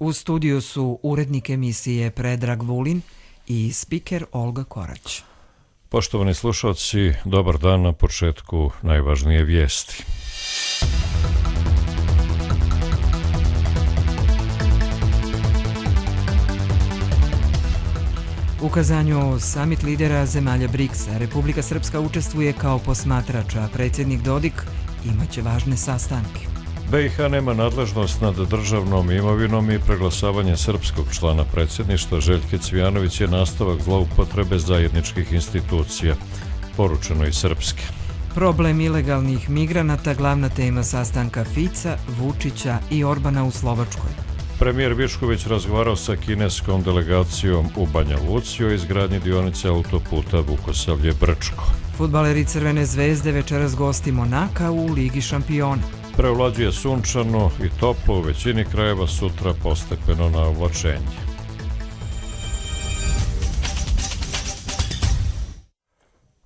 U studiju su urednik emisije Predrag Vulin i spiker Olga Korać. Poštovani slušalci, dobar dan na početku najvažnije vijesti. U Kazanju samit lidera zemalja BRICS-a Republika Srpska učestvuje kao posmatrač, a predsjednik Dodik imaće važne sastanke. BiH nema nadležnost nad državnom imovinom i preglasavanje srpskog člana predsjedništva Željke Cvijanović je nastavak zloupotrebe zajedničkih institucija, poručeno iz Srpske. Problem ilegalnih migranata glavna tema sastanka Fica, Vučića i Orbana u Slovačkoj. Premijer Višković razgovarao sa kineskom delegacijom u Banja Luci o izgradnji dionice autoputa Vukosavlje-Brčko. Fudbaleri Crvene zvezde večeras gosti Monaka u Ligi šampiona. Prevlađuje sunčano i toplo, u većini krajeva sutra postepeno na oblačenje.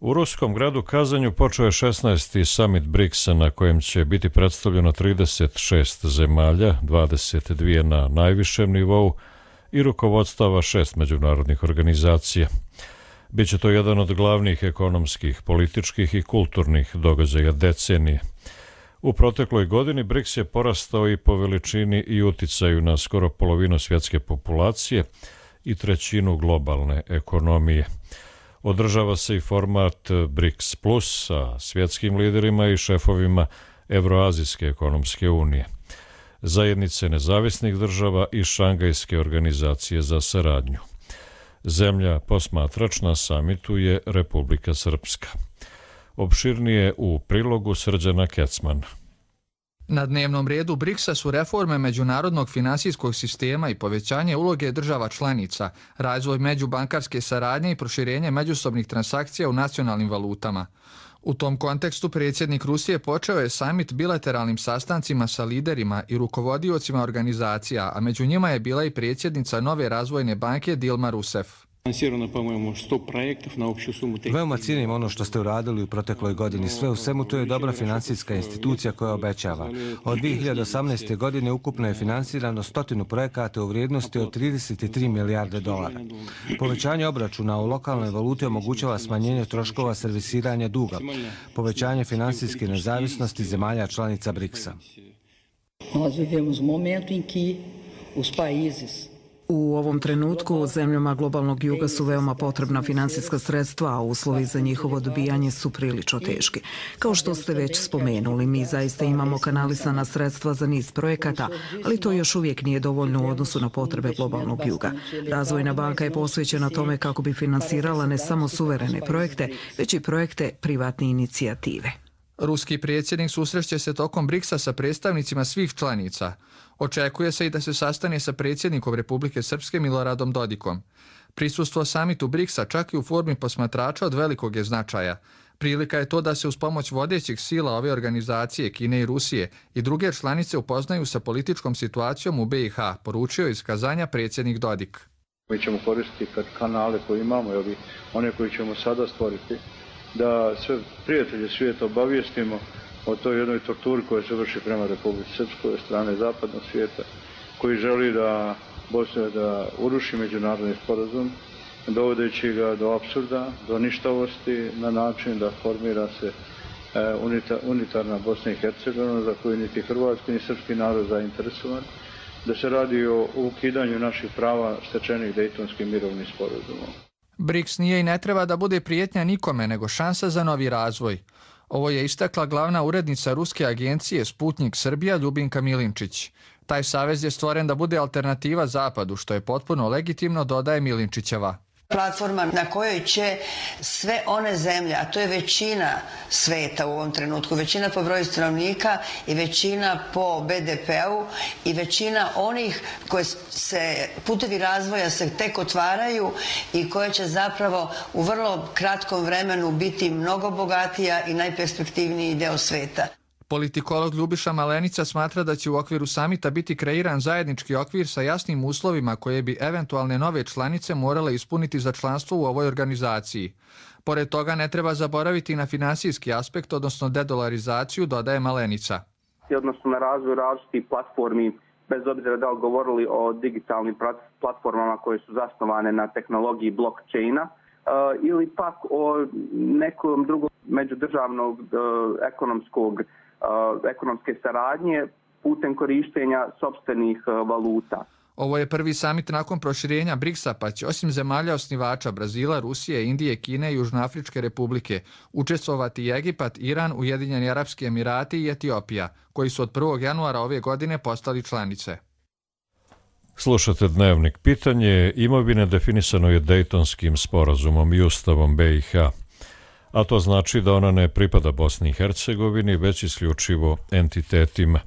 U ruskom gradu Kazanju počeo je 16. samit BRICS-a na kojem će biti predstavljeno 36 zemalja, 22 na najvišem nivou i rukovodstava 6 međunarodnih organizacija. Biće to jedan od glavnih ekonomskih, političkih i kulturnih događaja decenije. U protekloj godini BRICS je porastao i po veličini i uticaju na skoro polovinu svjetske populacije i trećinu globalne ekonomije. Održava se i format BRICS Plus sa svjetskim liderima i šefovima Evroazijske ekonomske unije, zajednice nezavisnih država i Šangajske organizacije za saradnju. Zemlja posmatrač na samitu je Republika Srpska. Opširnije u prilogu Srđana Kecmana. Na dnevnom redu BRICS-a su reforme međunarodnog finansijskog sistema i povećanje uloge država članica, razvoj međubankarske saradnje i proširenje međusobnih transakcija u nacionalnim valutama. U tom kontekstu predsjednik Rusije počeo je samit bilateralnim sastancima sa liderima i rukovodiocima organizacija, a među njima je bila i predsjednica Nove razvojne banke Dilma Rousseff. Veoma cijenim ono što ste uradili u protekloj godini. Sve u svemu to je dobra financijska institucija koja obećava. Od 2018. godine ukupno je finansirano 100 projekata u vrijednosti od 33 milijarde dolara. Povećanje obračuna u lokalnoj valuti omogućava smanjenje troškova servisiranja duga, povećanje finansijske nezavisnosti zemalja članica BRICS-a. U ovom trenutku zemljama globalnog juga su veoma potrebna finansijska sredstva, a uslovi za njihovo dobijanje su prilično teški. Kao što ste već spomenuli, mi zaista imamo kanalisana sredstva za niz projekata, ali to još uvijek nije dovoljno u odnosu na potrebe globalnog juga. Razvojna banka je posvećena tome kako bi finansirala ne samo suverene projekte, već i projekte privatne inicijative. Ruski predsjednik susreće se tokom BRICS-a sa predstavnicima svih članica. Očekuje se i da se sastane sa predsjednikom Republike Srpske Miloradom Dodikom. Prisustvo samitu BRICS-a čak i u formi posmatrača od velikog je značaja. Prilika je to da se uz pomoć vodećih sila ove organizacije, Kine i Rusije, i druge članice upoznaju sa političkom situacijom u BiH, poručio iz Kazanja predsjednik Dodik. Mi ćemo koristiti kanale koje imamo, one koje ćemo sada stvoriti, da sve prijatelje svijeta obavijestimo o toj jednoj torturi koja se vrši prema Republici Srpskoj od strane zapadnog svijeta, koji želi da Bosna da uruši međunarodni sporazum, dovodeći ga do apsurda, do ništavosti na način da formira se unitarna Bosna i Hercegovina za koju niti hrvatski ni srpski narod zainteresovan, da se radi o ukidanju naših prava stečenih Dejtonskim mirovnim sporazumom. BRICS nije i ne treba da bude prijetnja nikome, nego šansa za novi razvoj. Ovo je istakla glavna urednica ruske agencije Sputnik Srbija Ljubinka Milinčić. Taj savez je stvoren da bude alternativa Zapadu, što je potpuno legitimno, dodaje Milinčićeva. Platforma na kojoj će sve one zemlje, a to je većina sveta u ovom trenutku, većina po broju stanovnika i većina po BDP-u i većina onih koje se putevi razvoja se tek otvaraju i koje će zapravo u vrlo kratkom vremenu biti mnogo bogatija i najperspektivniji deo sveta. Politikolog Ljubiša Malenica smatra da će u okviru samita biti kreiran zajednički okvir sa jasnim uslovima koje bi eventualne nove članice morale ispuniti za članstvo u ovoj organizaciji. Pored toga ne treba zaboraviti na finansijski aspekt, odnosno dedolarizaciju, dodaje Malenica. Odnosno na razvoj različitih platformi bez obzira da li govorili o digitalnim platformama koje su zasnovane na tehnologiji blockchaina ili pak o nekom drugom međudržavnog ekonomske saradnje putem korištenja sopstvenih valuta. Ovo je prvi samit nakon proširenja BRICS-a, pa će osim zemalja osnivača Brazila, Rusije, Indije, Kine i Južnoafričke republike učestvovati i Egipat, Iran, Ujedinjeni Arapski Emirati i Etiopija, koji su od 1. januara ove godine postali članice. Slušate Dnevnik. Pitanje imovine definisano je Dejtonskim sporazumom i Ustavom BiH, a to znači da ona ne pripada Bosni i Hercegovini, već isključivo entitetima.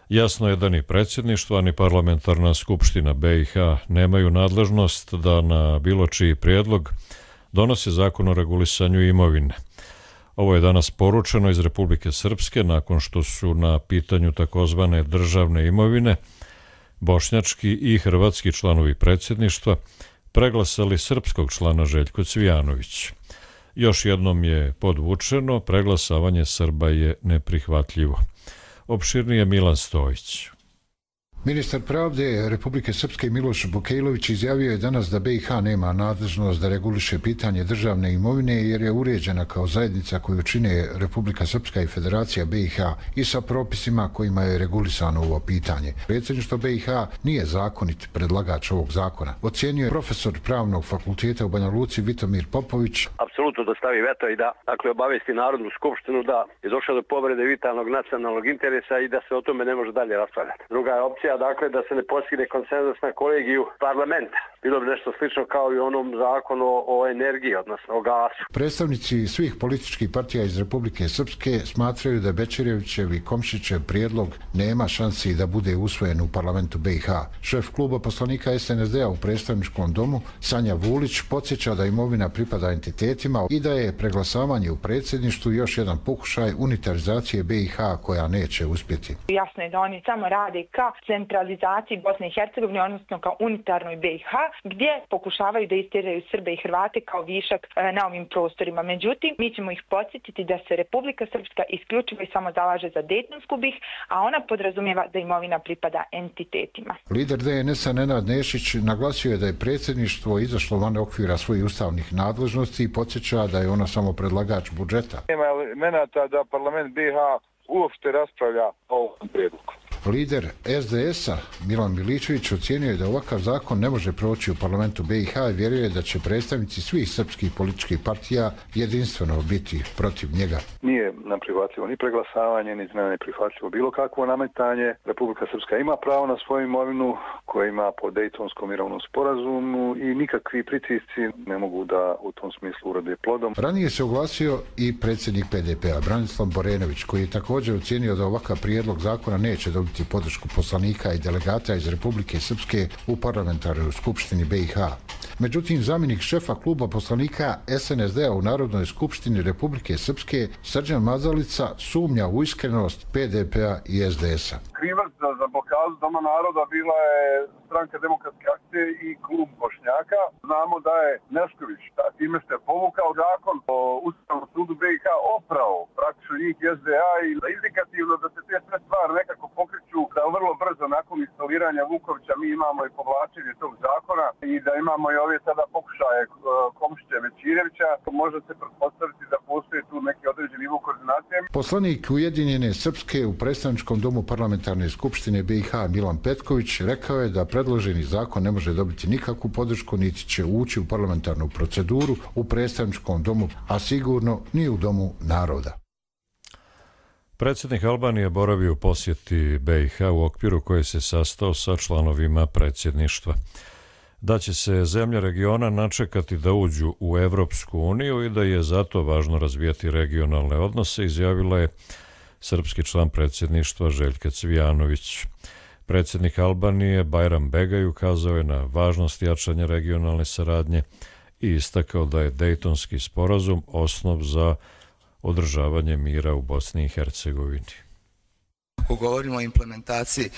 Jasno je da ni predsjedništvo, ni parlamentarna skupština BiH nemaju nadležnost da na bilo čiji prijedlog donose zakon o regulisanju imovine. Ovo je danas poručeno iz Republike Srpske nakon što su na pitanju takozvane državne imovine bošnjački i hrvatski članovi predsjedništva preglasali srpskog člana Željko Cvijanović. Još jednom je podvučeno, preglasavanje Srba je neprihvatljivo. Opširnije Milan Stojić. Ministar pravde Republike Srpske Miloš Bukejlović izjavio je danas da BiH nema nadležnost da reguliše pitanje državne imovine jer je uređena kao zajednica koju čine Republika Srpska i Federacija BiH i sa propisima kojima je regulisano ovo pitanje. Predsjedništvo BiH nije zakonit predlagač ovog zakona. Ocijenio je profesor Pravnog fakulteta u Banja Luci Vitomir Popović. Apsolutno da stavi veto i da obavesti Narodnu skupštinu da je došlo do povrede vitalnog nacionalnog interesa i da se o tome ne može dalje raspravljati. Druga je opcija da se ne postigne konsenzus na kolegiju parlamenta. Bilo bi nešto slično kao i onom zakonu o energiji, odnosno o gasu. Predstavnici svih političkih partija iz Republike Srpske smatraju da Bećirevićev i Komšićev prijedlog nema šansi da bude usvojen u parlamentu BiH. Šef kluba poslanika SNSD-a u predstavničkom domu, Sanja Vulić, podsjeća da imovina pripada entitetima i da je preglasavanje u predsjedništvu još jedan pokušaj unitarizacije BiH koja neće uspjeti. Jasno je da oni samo rade ka centralizaciji Bosne i Hercegovine, odnosno kao unitarnoj BiH, gdje pokušavaju da istjeraju Srbe i Hrvate kao višak na ovim prostorima. Međutim, mi ćemo ih podsjetiti da se Republika Srpska isključivo i samo zalaže za Dejtonsku BiH, a ona podrazumijeva da imovina pripada entitetima. Lider DNS-a Nenad Nešić naglasio je da je predsjedništvo izašlo van okvira svojih ustavnih nadležnosti i podsjeća da je ono samo predlagač budžeta. Nema elemenata da parlament BiH uopšte raspravlja o ovom prijedlogu. Lider SDS-a Milan Miličević ocijenio je da ovakav zakon ne može proći u parlamentu BiH i vjeruje da će predstavnici svih srpskih političkih partija jedinstveno biti protiv njega. Nije nam prihvatljivo ni preglasavanje, ni ne prihvatljivo bilo kakvo nametanje. Republika Srpska ima pravo na svoju imovinu koju ima po Dejtonskom mirovnom sporazumu i nikakvi pritisci ne mogu da u tom smislu urode plodom. Ranije se oglasio i predsjednik PDP-a Branislav Borenović, koji je također ocijenio da ovakav prijedlog zakona neće dobiti podršku poslanika i delegata iz Republike Srpske u parlamentarnoj skupštini BiH. Međutim, zamjenik šefa kluba poslanika SNSD-a u Narodnoj skupštini Republike Srpske Srđan Mazalica sumnja u iskrenost PDP-a i SDS-a. Krivac za blokadu Doma naroda bila je Stranka demokratske akcije i klub Bošnjaka. Znamo da je Nešković time što je povukao zakon o Ustavnom sudu BiH oprao praktično njih SDA i indikativno da se te sve stvari nekako pokreću da vrlo brzo nakon instaliranja Vukovića mi imamo i povlačenje tog zakona i da imamo i ove sada pokušaje Komšića Bećirevića. Može se pretpostaviti da postoji tu neki određeni nivo koordinacije. Poslanik Ujedinjene Srpske u predstavničkom domu parlamentarne skupštine BiH Milan Petković rekao je da predloženi zakon ne može dobiti nikakvu podršku niti će ući u parlamentarnu proceduru u predstavničkom domu, a sigurno ni u domu naroda. Predsjednik Albanije boravio u posjeti BiH u okviru koje se sastao sa članovima predsjedništva. Da će se zemlje regiona načekati da uđu u Evropsku uniju i da je zato važno razvijati regionalne odnose, izjavila je srpski član predsjedništva Željka Cvijanović. Predsjednik Albanije Bajram Begaj ukazao je na važnost jačanja regionalne saradnje i istakao da je Dejtonski sporazum osnov za održavanje mira u Bosni i Hercegovini. Ako govorimo o implementaciji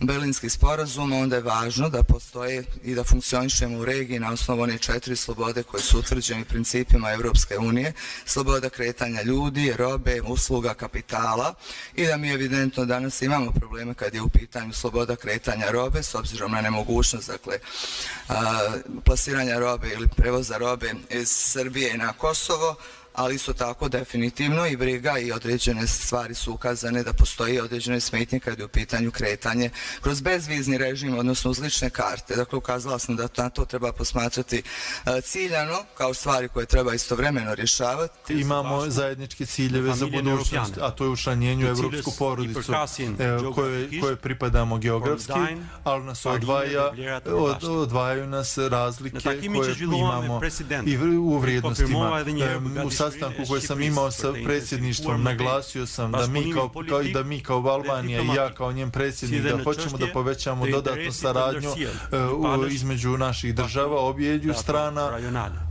Berlinskih sporazuma, onda je važno da postoje i da funkcionišemo u regiji na osnovu one 4 slobode koje su utvrđene principima Europske unije, sloboda kretanja ljudi, robe, usluga, kapitala, i da mi evidentno danas imamo probleme kad je u pitanju sloboda kretanja robe s obzirom na nemogućnost, dakle, plasiranja robe ili prevoza robe iz Srbije na Kosovo, ali isto tako definitivno i briga i određene stvari su ukazane da postoji određene smetnje kad je u pitanju kretanje kroz bezvizni režim, odnosno uz lične karte. Dakle, ukazala sam da na to treba posmatrati ciljano kao stvari koje treba istovremeno rješavati. Imamo zajedničke ciljeve za budućnost, a to je učlanjenje u evropsku porodicu koje pripadamo geografski, ali nas odvajaju nas razlike koje imamo i u vrijednostima. U sastanku koji sam imao sa predsjedništvom naglasio sam da mi kao Albanija i ja kao njen predsjednik da hoćemo da povećamo dodatnu saradnju između naših država, objeđu strana,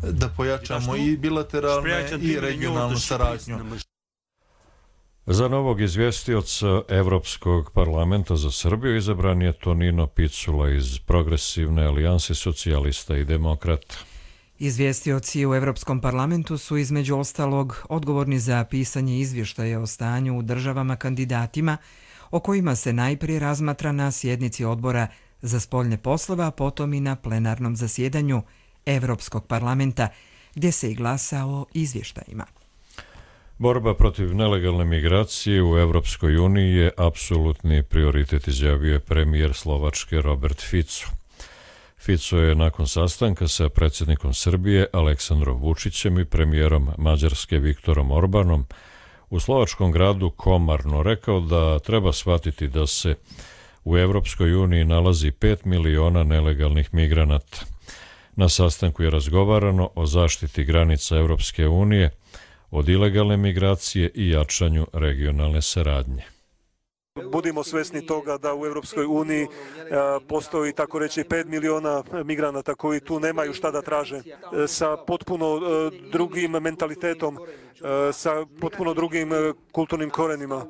da pojačamo i bilateralne i regionalnu saradnju. Za novog izvjestioca Evropskog parlamenta za Srbiju izabran je Tonino Picula iz Progresivne alijanse socijalista i demokrata. Izvjestioci u Evropskom parlamentu su između ostalog odgovorni za pisanje izvještaja o stanju u državama kandidatima, o kojima se najprije razmatra na sjednici odbora za spoljne poslove, a potom i na plenarnom zasjedanju Evropskog parlamenta, gdje se i glasa o izvještajima. Borba protiv nelegalne migracije u Evropskoj uniji je apsolutni prioritet, izjavio je premijer Slovačke Robert Fico. Fico je nakon sastanka sa predsjednikom Srbije Aleksandrom Vučićem i premijerom Mađarske Viktorom Orbanom u slovačkom gradu Komarno rekao da treba shvatiti da se u Evropskoj uniji nalazi 5 miliona nelegalnih migranata. Na sastanku je razgovarano o zaštiti granica Evropske unije, od ilegalne migracije i jačanju regionalne saradnje. Budimo svjesni toga da u Europskoj uniji postoji tako reći 5 miliona migranata koji tu nemaju šta da traže, sa potpuno drugim mentalitetom, sa potpuno drugim kulturnim korenima,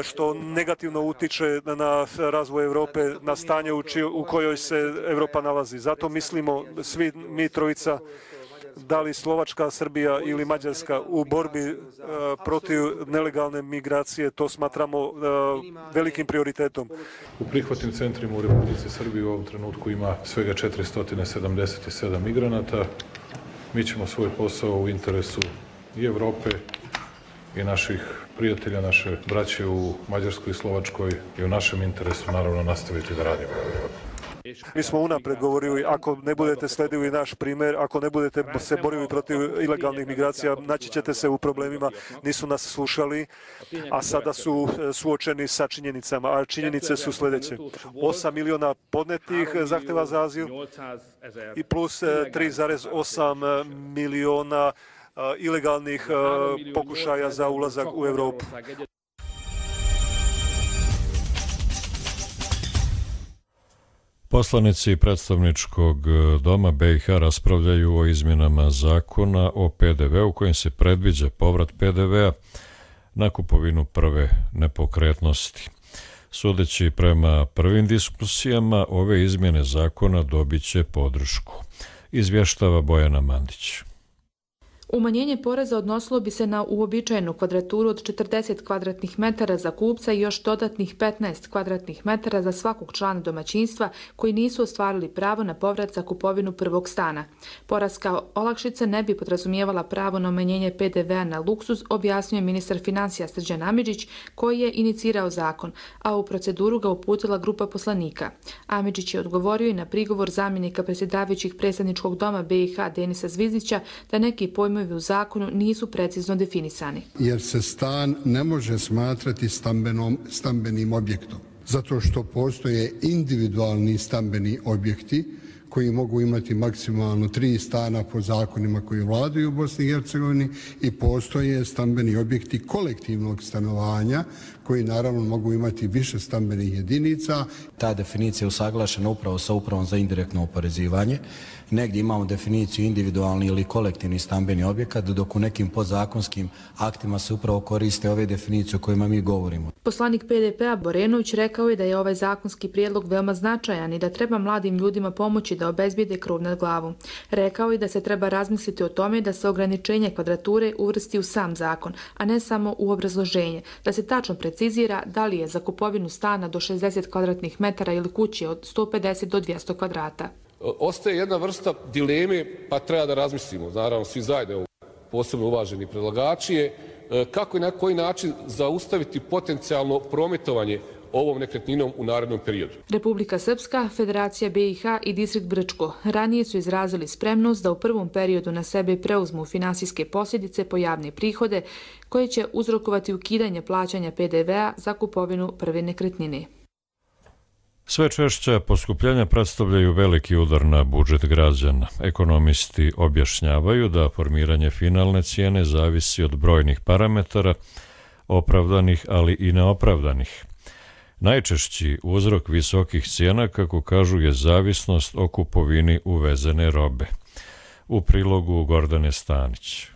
što negativno utiče na razvoj Europe, na stanje u kojoj se Europa nalazi. Zato mislimo svi mi trojica, da li Slovačka, Srbija ili Mađarska, u borbi protiv nelegalne migracije, to smatramo velikim prioritetom. U prihvatnim centrima u Republici Srbiji u ovom trenutku ima svega 477 migranata. Mi ćemo svoj posao u interesu i Evrope i naših prijatelja, naše braće u Mađarskoj i Slovačkoj i u našem interesu naravno nastaviti da radimo. Mi smo unapred govorili, ako ne budete sledili naš primjer, ako ne budete se borili protiv ilegalnih migracija, naći ćete se u problemima, nisu nas slušali, a sada su suočeni sa činjenicama, a činjenice su sljedeće. 8 miliona podnetih zahtjeva za azil i plus 3,8 miliona ilegalnih pokušaja za ulazak u Europu. Poslanici predstavničkog doma BiH raspravljaju o izmjenama zakona o PDV-u kojim se predviđa povrat PDV-a na kupovinu prve nepokretnosti. Sudeći prema prvim diskusijama, ove izmjene zakona dobit će podršku, izvještava Bojana Mandić. Umanjenje poreza odnosilo bi se na uobičajenu kvadraturu od 40 kvadratnih metara za kupca i još dodatnih 15 kvadratnih metara za svakog člana domaćinstva koji nisu ostvarili pravo na povrat za kupovinu prvog stana. Poreska olakšica ne bi podrazumijevala pravo na umanjenje PDV-a na luksuz, objasnio je ministar financija Srđan Amidžić, koji je inicirao zakon, a u proceduru ga uputila grupa poslanika. Amidžić je odgovorio i na prigovor zamjenika predsjedavajućih predstavničkog doma BiH Denisa Zvizdića da neki pojmovi u zakonu nisu precizno definisani. Jer se stan ne može smatrati stambenim objektom, zato što postoje individualni stambeni objekti koji mogu imati maksimalno 3 stana po zakonima koji vladaju u Bosni i Hercegovini i postoje stambeni objekti kolektivnog stanovanja koji naravno mogu imati više stambenih jedinica. Ta definicija je usaglašena upravo sa Upravom za indirektno oporezivanje. Negdje imamo definiciju individualni ili kolektivni stambeni objekat, dok u nekim podzakonskim aktima se upravo koriste ove definicije o kojima mi govorimo. Poslanik PDP-a Borenović rekao je da je ovaj zakonski prijedlog veoma značajan i da treba mladim ljudima pomoći da obezbijede krov nad glavom. Rekao je da se treba razmisliti o tome da se ograničenje kvadrature uvrsti u sam zakon, a ne samo u obrazloženje, da se tačno precizira da li je za kupovinu stana do 60 kvadratnih metara ili kuće od 150 do 200 kvadrata. Ostaje jedna vrsta dileme, pa treba da razmislimo, naravno svi zajedno, posebno uvaženi predlagači, kako i na koji način zaustaviti potencijalno prometovanje ovom nekretninom u narednom periodu. Republika Srpska, Federacija BiH i Distrikt Brčko ranije su izrazili spremnost da u prvom periodu na sebe preuzmu finansijske posljedice po javne prihode koje će uzrokovati ukidanje plaćanja PDV-a za kupovinu prve nekretnine. Sve češća poskupljenja predstavljaju veliki udar na budžet građana. Ekonomisti objašnjavaju da formiranje finalne cijene zavisi od brojnih parametara, opravdanih ali i neopravdanih. Najčešći uzrok visokih cijena, kako kažu, je zavisnost o kupovini uvezene robe. U prilogu Gordane Stanić.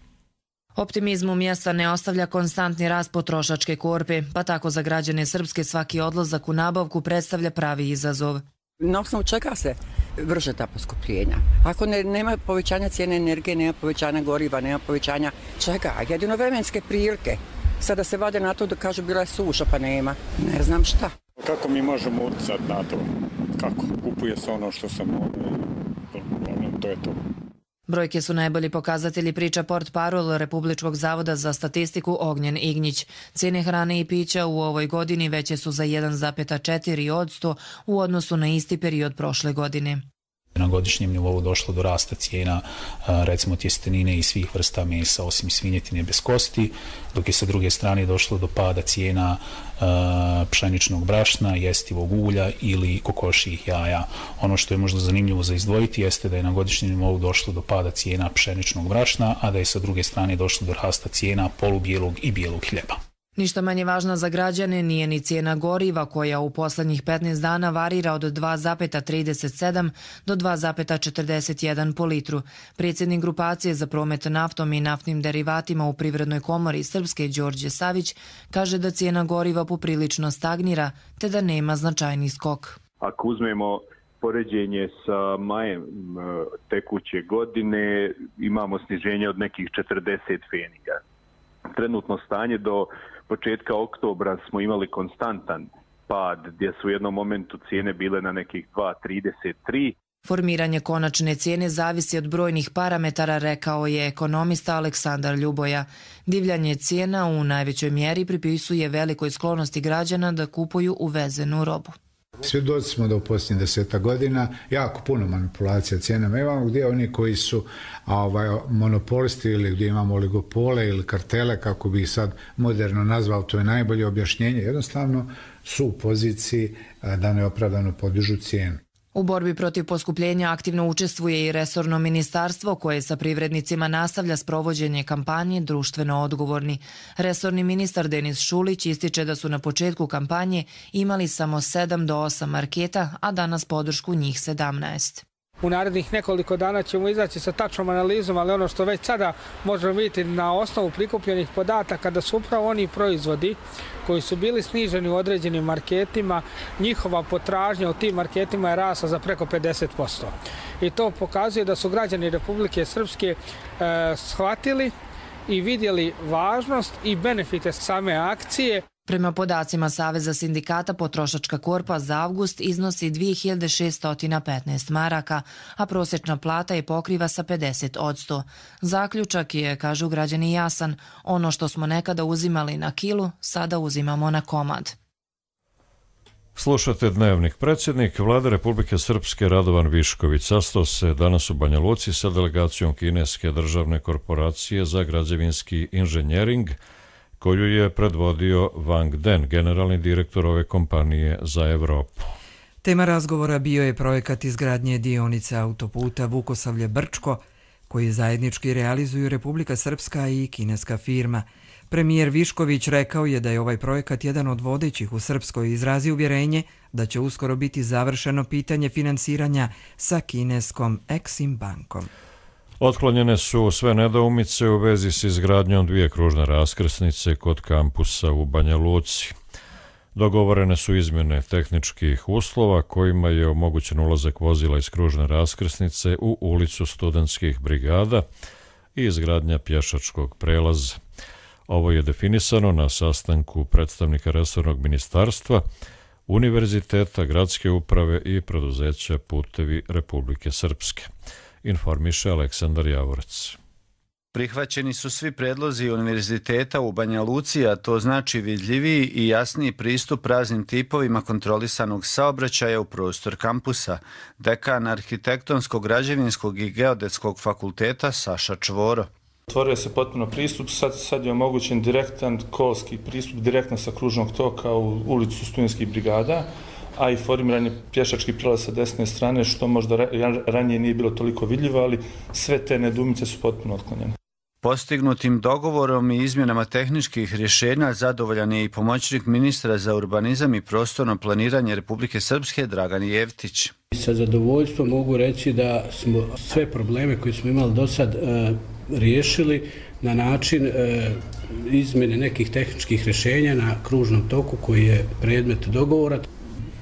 Optimizmu mjesta ne ostavlja konstantni rast potrošačke korpe, pa tako za građane Srpske svaki odlazak u nabavku predstavlja pravi izazov. Na osnovu čega se vrše ta poskupljenja? Ako nema povećanja cijene energije, nema povećanja goriva, nema povećanja čega? Jedino vremenske prilike. Sada se vade na to da kažu bila je suša, pa nema. Ne znam šta. Kako mi možemo utjecati na to? Kako? Kupuje se ono što sam to je to. Brojke su najbolji pokazatelji, priča portparol Republičkog zavoda za statistiku Ognjen Ignjić. Cijene hrane i pića u ovoj godini veće su za 1,4% u odnosu na isti period prošle godine. Na godišnjem nivou došlo do rasta cijena recimo tjestenine i svih vrsta mesa osim svinjetine bez kosti, dok je sa druge strane došlo do pada cijena pšeničnog brašna, jestivog ulja ili kokošijih jaja. Ono što je možda zanimljivo za izdvojiti jeste da je na godišnjem nivou došlo do pada cijena pšeničnog brašna, a da je sa druge strane došlo do rasta cijena polubijelog i bijelog hljeba. Ništa manje važna za građane nije ni cijena goriva koja u poslednjih 15 dana varira od 2,37 do 2,41 po litru. Predsjednik grupacije za promet naftom i naftnim derivatima u Privrednoj komori Srpske Đorđe Savić kaže da cijena goriva poprilično stagnira te da nema značajni skok. Ako uzmemo poređenje sa majem tekuće godine, imamo sniženje od nekih 40 pfeniga. Trenutno stanje do početka oktobra smo imali konstantan pad gdje su u jednom momentu cijene bile na nekih 2,33. Formiranje konačne cijene zavisi od brojnih parametara, rekao je ekonomista Aleksandar Ljuboja. Divljanje cijena u najvećoj mjeri pripisuje velikoj sklonosti građana da kupuju uvezenu robu. Svjedoci smo da u posljednjih 10 godina jako puno manipulacija cijenama imamo, gdje oni koji su monopolisti ili gdje imamo oligopole ili kartele, kako bi ih sad moderno nazvao, to je najbolje objašnjenje, jednostavno su u poziciji da neopravdano podižu cijenu. U borbi protiv poskupljenja aktivno učestvuje i resorno ministarstvo koje sa privrednicima nastavlja sprovođenje kampanje društveno odgovorni. Resorni ministar Denis Šulić ističe da su na početku kampanje imali samo 7 do 8 marketa, a danas podršku njih 17. U narednih nekoliko dana ćemo izaći sa tačnom analizom, ali ono što već sada možemo vidjeti na osnovu prikupljenih podataka da su upravo oni proizvodi koji su bili sniženi u određenim marketima, njihova potražnja u tim marketima je rasla za preko 50%. I to pokazuje da su građani Republike Srpske shvatili i vidjeli važnost i benefite same akcije. Prema podacima Saveza sindikata, potrošačka korpa za avgust iznosi 2615 maraka, a prosječna plata je pokriva sa 50%. Zaključak je, kažu građani, jasan. Ono što smo nekada uzimali na kilu, sada uzimamo na komad. Slušate Dnevnik. Predsjednik Vlade Republike Srpske Radovan Višković sastao se danas u Banja Luci sa delegacijom kineske državne korporacije za građevinski inženjering, koju je predvodio Wang Den, generalni direktor ove kompanije za Evropu. Tema razgovora bio je projekat izgradnje dionice autoputa Vukosavlje-Brčko, koji zajednički realizuju Republika Srpska i kineska firma. Premijer Višković rekao je da je ovaj projekat jedan od vodećih u Srpskoj i izrazi uvjerenje da će uskoro biti završeno pitanje finansiranja sa kineskom Exim bankom. Otklonjene su sve nedoumice u vezi s izgradnjom 2 kružne raskrsnice kod kampusa u Banja Luci. Dogovorene su izmjene tehničkih uslova kojima je omogućen ulazak vozila iz kružne raskrsnice u ulicu Studentskih brigada i izgradnja pješačkog prelaza. Ovo je definisano na sastanku predstavnika resornog ministarstva, univerziteta, gradske uprave i preduzeća Putevi Republike Srpske. Informiše Aleksandar Javorac. Prihvaćeni su svi predlozi univerziteta u Banja Luci, a to znači vidljiviji i jasniji pristup raznim tipovima kontrolisanog saobraćaja u prostor kampusa. Dekan Arhitektonskog, građevinskog i geodetskog fakulteta Saša Čvoro. Otvorio se potpuno pristup, sad je omogućen direktan kolski pristup direktno sa kružnog toka u ulicu Studentskih brigada, a i formiran je pješački prelaz sa desne strane, što možda ranije nije bilo toliko vidljivo, ali sve te nedoumice su potpuno otklonjene. Postignutim dogovorom i izmjenama tehničkih rješenja zadovoljan je i pomoćnik ministra za urbanizam i prostorno planiranje Republike Srpske Dragan Jevtić. Sa zadovoljstvom mogu reći da smo sve probleme koje smo imali do sad riješili na način izmjene nekih tehničkih rješenja na kružnom toku koji je predmet dogovora,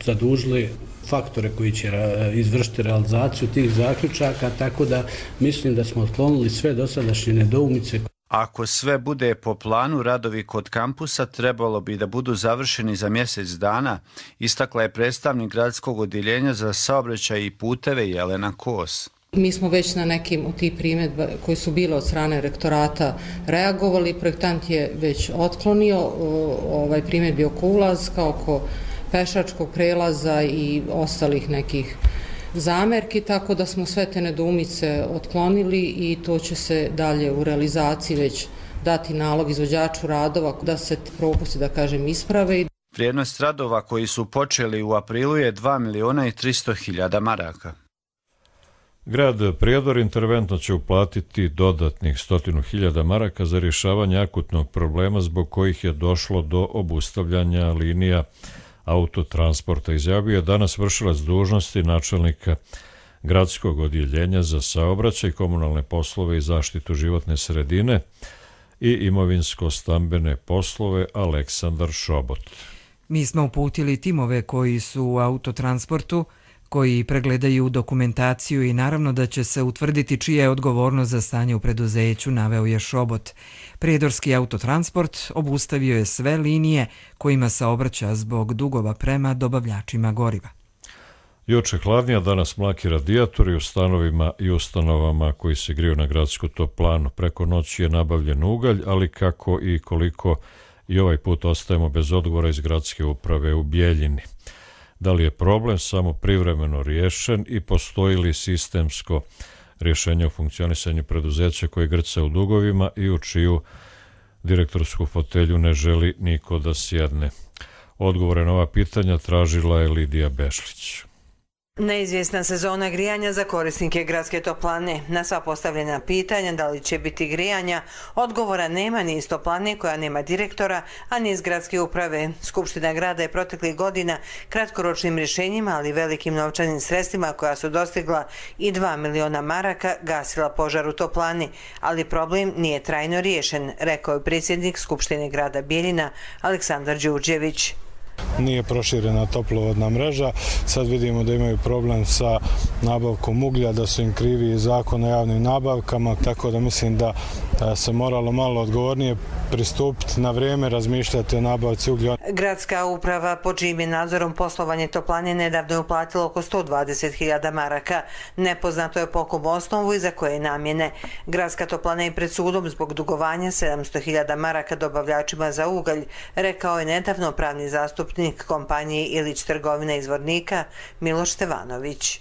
zadužili faktore koji će izvršiti realizaciju tih zaključaka, tako da mislim da smo otklonili sve dosadašnje nedoumice. Ako sve bude po planu, radovi kod kampusa trebalo bi da budu završeni za mjesec dana, istakla je predstavnik gradskog odjeljenja za saobraćaj i puteve Jelena Kos. Mi smo već na nekim od tih primjedba koji su bile od strane rektorata reagovali. Projektant je već otklonio primjedbi oko ulazka, oko pešačkog prelaza i ostalih nekih zamerki, tako da smo sve te nedoumice otklonili i to će se dalje u realizaciji već dati nalog izvođaču radova da se propusti, da kažem, isprave. Vrijednost radova koji su počeli u aprilu je 2.300.000 maraka. Grad Prijedor interventno će uplatiti dodatnih 100.000 maraka za rješavanje akutnog problema zbog kojih je došlo do obustavljanja linija autotransporta, izjavio je danas vršilac dužnosti načelnika gradskog odjeljenja za saobraćaj, komunalne poslove i zaštitu životne sredine i imovinsko-stambene poslove Aleksandar Šobot. Mi smo uputili timove koji su u autotransportu, koji pregledaju dokumentaciju i naravno da će se utvrditi čija je odgovornost za stanje u preduzeću, naveo je Šobot. Prijedorski autotransport obustavio je sve linije kojima saobraća zbog dugova prema dobavljačima goriva. Juče hladnija, danas mlaki radijatori u stanovima i ustanovama koji se griju na gradsku toplanu. Preko noći je nabavljen ugalj, ali kako i koliko i ovaj put ostajemo bez odgovora iz gradske uprave u Bijeljini. Da li je problem samo privremeno riješen i postoji li sistemsko rješenje u funkcionisanju preduzeća koje grca u dugovima i u čiju direktorsku fotelju ne želi niko da sjedne? Odgovore na ova pitanja tražila je Lidija Bešlić. Neizvjesna sezona grijanja za korisnike gradske toplane. Na sva postavljena pitanja da li će biti grijanja, odgovora nema ni iz toplane koja nema direktora, a ni iz gradske uprave. Skupština grada je proteklih godina kratkoročnim rješenjima, ali velikim novčanim sredstvima koja su dostigla i 2 miliona maraka gasila požar u toplani, ali problem nije trajno riješen, rekao je predsjednik Skupštine grada Bijeljina Aleksandar Đurđević. Nije proširena toplovodna mreža. Sad vidimo da imaju problem sa nabavkom uglja, da su im krivi Zakon o javnim nabavkama, tako da mislim da se moralo malo odgovornije pristupiti, na vrijeme razmišljati o nabavci uglja. Gradska uprava pod čijim je nadzorom poslovanje toplane nedavno je uplatila oko 120.000 maraka. Nepoznato je po kom osnovu i za koje namjene. Gradska toplana je pred sudom zbog dugovanja 700.000 maraka dobavljačima za ugalj, rekao je nedavno pravni zastupnik kompanije Ilić trgovina izvornika Miloš Stevanović.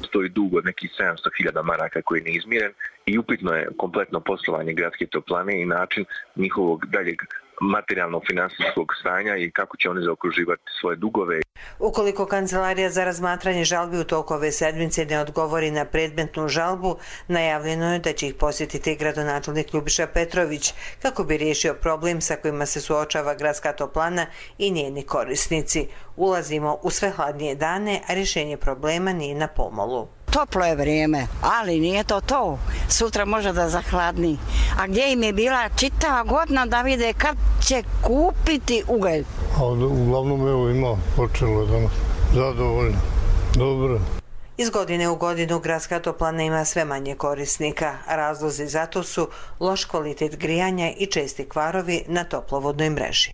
Stoji dug od nekih 700.000 maraka koji je neizmiren i upitno je kompletno poslovanje gradske toplane i način njihovog daljeg materijalnog finansijskog stanja i kako će oni zaokruživati svoje dugove. Ukoliko Kancelarija za razmatranje žalbi u toku ove sedmice ne odgovori na predmetnu žalbu, najavljeno je da će ih posjetiti gradonačelnik Ljubiša Petrović kako bi riješio problem sa kojima se suočava gradska toplana i njeni korisnici. Ulazimo u sve hladnije dane, a rješenje problema nije na pomolu. Toplo je vrijeme, ali nije to. Sutra može da zahladni. A gdje im je bila čitava godina da vide kad će kupiti ugalj? Uglavnom evo ima, počelo danas. Zadovoljno. Dobro. Iz godine u godinu gradska toplana ima sve manje korisnika. Razlozi zato su loš kvalitet grijanja i česti kvarovi na toplovodnoj mreži.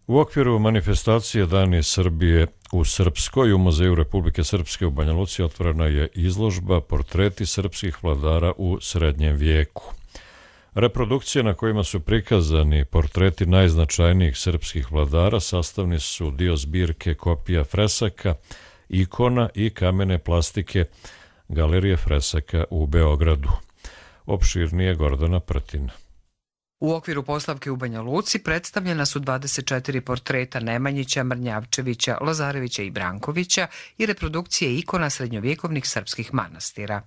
U okviru manifestacije Dani Srbije u Srpskoj u Muzeju Republike Srpske u Banja Luci otvorena je izložba Portreti srpskih vladara u srednjem vijeku. Reprodukcije na kojima su prikazani portreti najznačajnijih srpskih vladara sastavni su dio zbirke kopija fresaka, ikona i kamene plastike Galerije fresaka u Beogradu. Opširnije Gordana Prtina. U okviru postavke u Banja Luci predstavljena su 24 portreta Nemanjića, Mrnjavčevića, Lazarevića i Brankovića i reprodukcije ikona srednjovjekovnih srpskih manastira.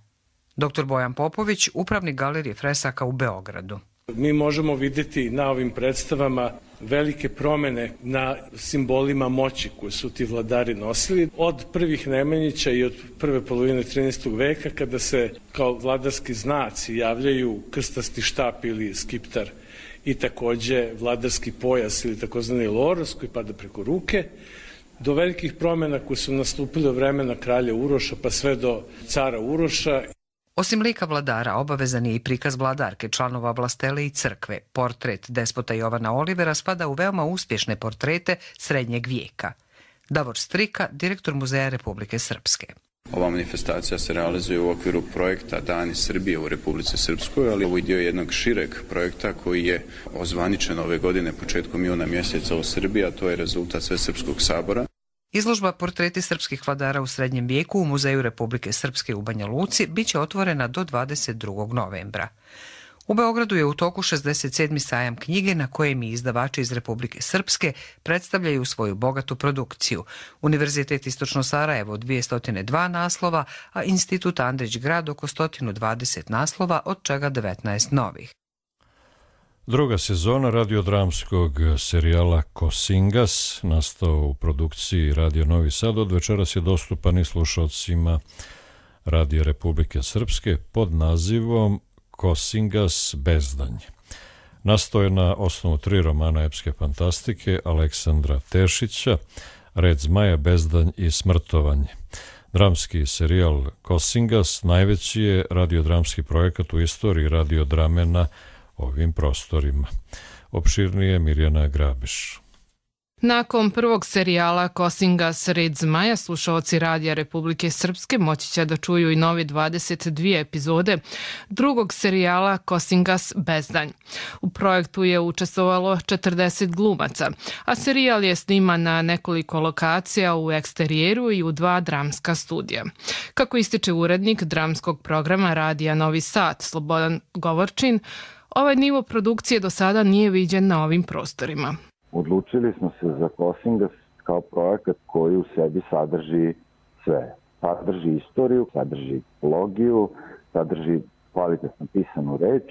Dr. Bojan Popović, upravnik Galerije fresaka u Beogradu. Mi možemo vidjeti na ovim predstavama velike promjene na simbolima moći koje su ti vladari nosili. Od prvih Nemanjića i od prve polovine 13. veka kada se kao vladarski znaci javljaju krstasti štap ili skiptar i također vladarski pojas ili takozvani loros koji pada preko ruke, do velikih promjena koje su nastupile u vremena kralja Uroša pa sve do cara Uroša. Osim lika vladara, obavezan je i prikaz vladarke, članova vlastele i crkve. Portret despota Jovana Olivera spada u veoma uspješne portrete srednjeg vijeka. Davor Strika, direktor Muzeja Republike Srpske. Ova manifestacija se realizuje u okviru projekta Dani Srbije u Republici Srpskoj, ali ovo je dio jednog šireg projekta koji je ozvaničen ove godine početkom juna mjeseca u Srbiji, a to je rezultat Svesrpskog sabora. Izložba Portreti srpskih vladara u srednjem vijeku u Muzeju Republike Srpske u Banja Luci biće otvorena do 22. novembra. U Beogradu je u toku 67. sajam knjige na kojem i izdavači iz Republike Srpske predstavljaju svoju bogatu produkciju. Univerzitet Istočno Sarajevo 202 naslova, a Institut Andrić Grad oko 120 naslova, od čega 19 novih. Druga sezona radiodramskog serijala Kosingas, nastao u produkciji Radio Novi Sad, od večeras je dostupan i slušalcima Radio Republike Srpske pod nazivom Kosingas Bezdanj. Nastao je na osnovu 3 romana epske fantastike Aleksandra Tešića, Red zmaja, Bezdanj i Smrtovanje. Dramski serijal Kosingas najveći je radiodramski projekat u istoriji radiodrame na ovim prostorima. Opširnije Mirjana Grabiš. Nakon prvog serijala Kosingas Red zmaja, slušaoci Radija Republike Srpske moći će da čuju i novi 22 epizode drugog serijala Kosingas Bezdanj. U projektu je učestvovalo 40 glumaca, a serijal je sniman na nekoliko lokacija u eksterijeru i u 2 dramska studija. Kako ističe urednik dramskog programa Radija Novi Sad, Slobodan Govorčin, ovaj nivo produkcije do sada nije viđen na ovim prostorima. Odlučili smo se za Kosingas kao projekat koji u sebi sadrži sve. Sadrži istoriju, sadrži ekologiju, sadrži kvalitetno pisanu reč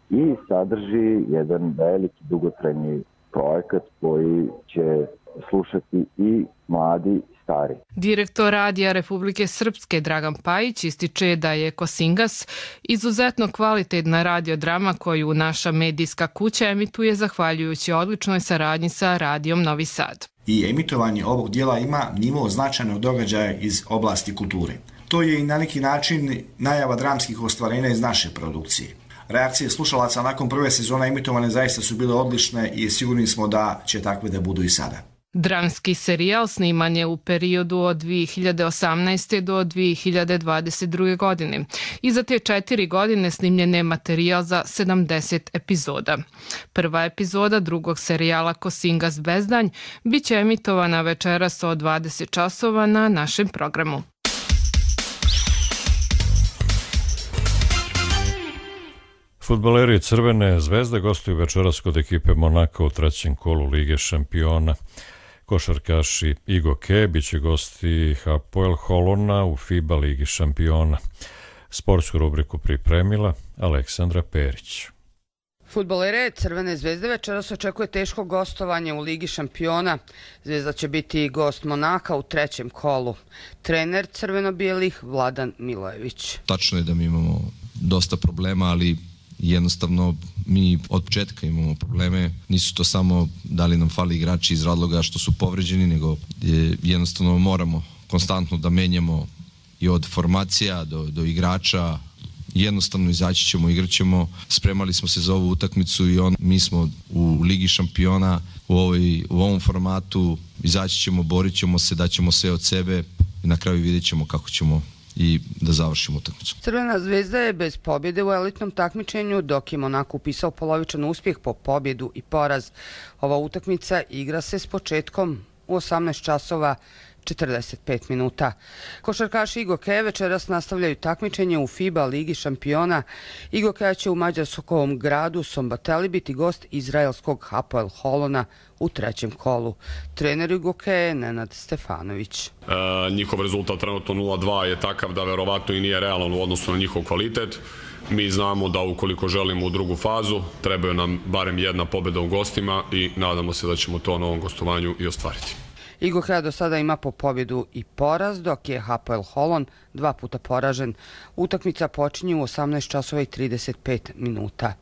i sadrži jedan veliki dugotrajni projekat koji će slušati i mladi i stari. Direktor Radija Republike Srpske Dragan Pajić ističe da je Kosingas izuzetno kvalitetna radiodrama koju naša medijska kuća emituje zahvaljujući odličnoj saradnji sa Radijom Novi Sad. I emitovanje ovog dijela ima nivo značajnog događaja iz oblasti kulture. To je i na neki način najava dramskih ostvarenja iz naše produkcije. Reakcije slušalaca nakon prve sezone emitovane zaista su bile odlične i sigurni smo da će takve da budu i sada. Dramski serijal sniman je u periodu od 2018. do 2022. godine i za te 4 godine snimljen je materijal za 70 epizoda. Prva epizoda drugog serijala Kosingas Bezdanj bit će emitovana večeras od 20 časova na našem programu. Fudbaleri Crvene zvezde gostuju večeras kod ekipe Monaka u trećem kolu Lige šampiona. Košarkaši Igo Ke biće gosti Hapoel Holona u FIBA Ligi šampiona. Sportsku rubriku pripremila Aleksandra Perić. Fudbalere Crvene zvezde večeras očekuje teško gostovanje u Ligi šampiona. Zvezda će biti gost Monaka u trećem kolu. Trener crveno-bijelih Vladan Milojević. Tačno je da mi imamo dosta problema, ali jednostavno mi od početka imamo probleme. Nisu to samo da li nam fali igrači iz razloga što su povređeni, nego jednostavno moramo konstantno da menjamo i od formacija do igrača. Jednostavno izaći ćemo, igrat ćemo. Spremali smo se za ovu utakmicu i mi smo u Ligi šampiona u ovom formatu. Izaći ćemo, borit ćemo se, daćemo sve od sebe i na kraju vidjet ćemo kako ćemo i da završimo utakmicu. Crvena zvezda je bez pobjede u elitnom takmičenju, dok je Monako upisao polovičan uspjeh po pobjedu i poraz. Ova utakmica igra se s početkom u 18 časova 45 minuta. Košarkaši Igo Ke večeras nastavljaju takmičenje u FIBA Ligi šampiona. Igo Ke će u mađarskom gradu Sombateli biti gost izraelskog Hapoel Holona u trećem kolu. Trener Igo Ke je Nenad Stefanović. Njihov rezultat trenutno 0-2 je takav da verovatno i nije realan u odnosu na njihov kvalitet. Mi znamo da ukoliko želimo u drugu fazu, trebaju nam barem jedna pobjeda u gostima i nadamo se da ćemo to na ovom gostovanju i ostvariti. Igo Ke do sada ima po pobjedu i poraz, dok je Hapoel Holon 2 puta poražen. Utakmica počinje u 18 časova i 35 minuta.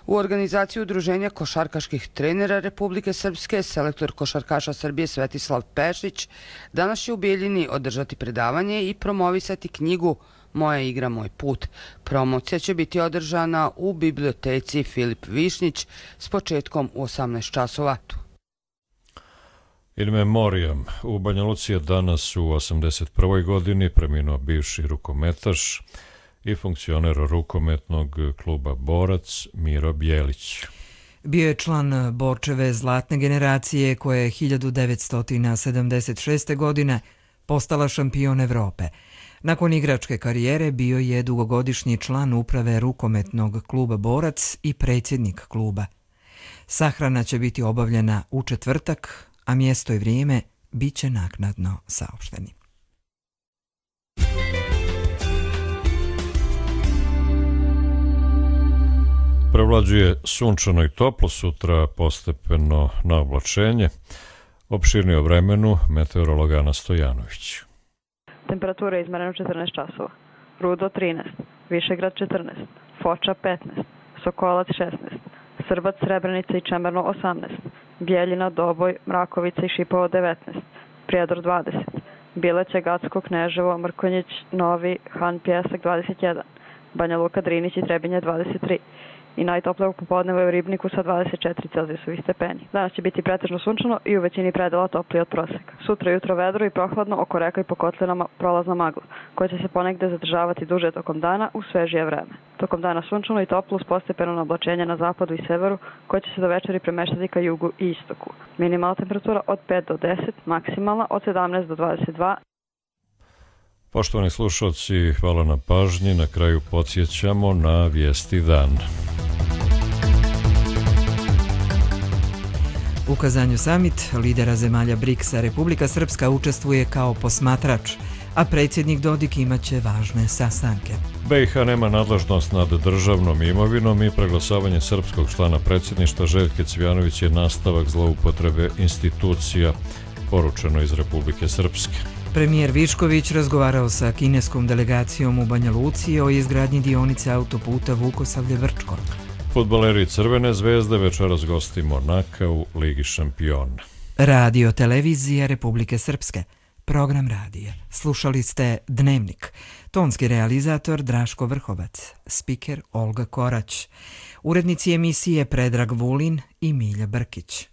U organizaciji Udruženja košarkaških trenera Republike Srpske, selektor košarkaša Srbije Svetislav Pešić danas će u Bijeljini održati predavanje i promovisati knjigu Moja igra, moj put. Promocija će biti održana u biblioteci Filip Višnjić s početkom u 18 časova. In memoriam, u Banja Luci je danas u 81. godini preminuo bivši rukometaš i funkcioner rukometnog kluba Borac Miro Bjelić. Bio je član Borčeve zlatne generacije koja je 1976. godine postala šampion Evrope. Nakon igračke karijere bio je dugogodišnji član uprave rukometnog kluba Borac i predsjednik kluba. Sahrana će biti obavljena u četvrtak, a mjesto i vrijeme bit će naknadno saopšteni. Prevlađuje sunčano i toplo, sutra postepeno na oblačenje. Opširnije o vremenu meteorolog Ana Stojanović. Temperatura je izmerena 14 časova. Rudo 13, Višegrad 14, Foča 15, Sokolac 16, Srbac, Srebrenica i Čemerno 18, Bijeljina, Doboj, Mrakovica i Šipovo 19, Prijedor 20, Bileće, Gacko, Kneževo, Mrkonjić, Novi, Han, Pjesak 21, Banja Luka, Drinić i Trebinje 23 i najtoplije u popodnevu u Ribniku sa 24 celzijusovih stepeni. Danas će biti pretežno sunčano i u većini predela toplije od proseka. Sutra jutro vedro i prohladno, oko reka i po kotlinama prolazna magla, koja će se ponegde zadržavati duže tokom dana u svežije vreme. Tokom dana sunčano i toplo uz postepeno oblačenje na zapadu i severu, koje će se do večeri premeštati ka jugu i istoku. Minimalna temperatura od 5 do 10, maksimalna od 17 do 22. Poštovani slušalci, hvala na pažnji. Na kraju podsjećamo na vijesti dana. U Kazanju summit lidera zemalja BRICS-a Republika Srpska učestvuje kao posmatrač, a predsjednik Dodik imaće važne sastanke. BiH nema nadležnost nad državnom imovinom i preglasavanje srpskog člana predsjedništva Željke Cvijanović je nastavak zloupotrebe institucija, poručeno iz Republike Srpske. Premijer Višković razgovarao sa kineskom delegacijom u Banja Luci o izgradnji dionice autoputa Vukosavlje-Vrčko. Fudbaleri Crvene zvezde večeras gosti Monaka u Ligi šampiona. Radio televizija Republike Srpske. Program radija. Slušali ste Dnevnik. Tonski realizator Draško Vrhovac. Spiker Olga Korać. Urednici emisije Predrag Vulin i Milja Brkić.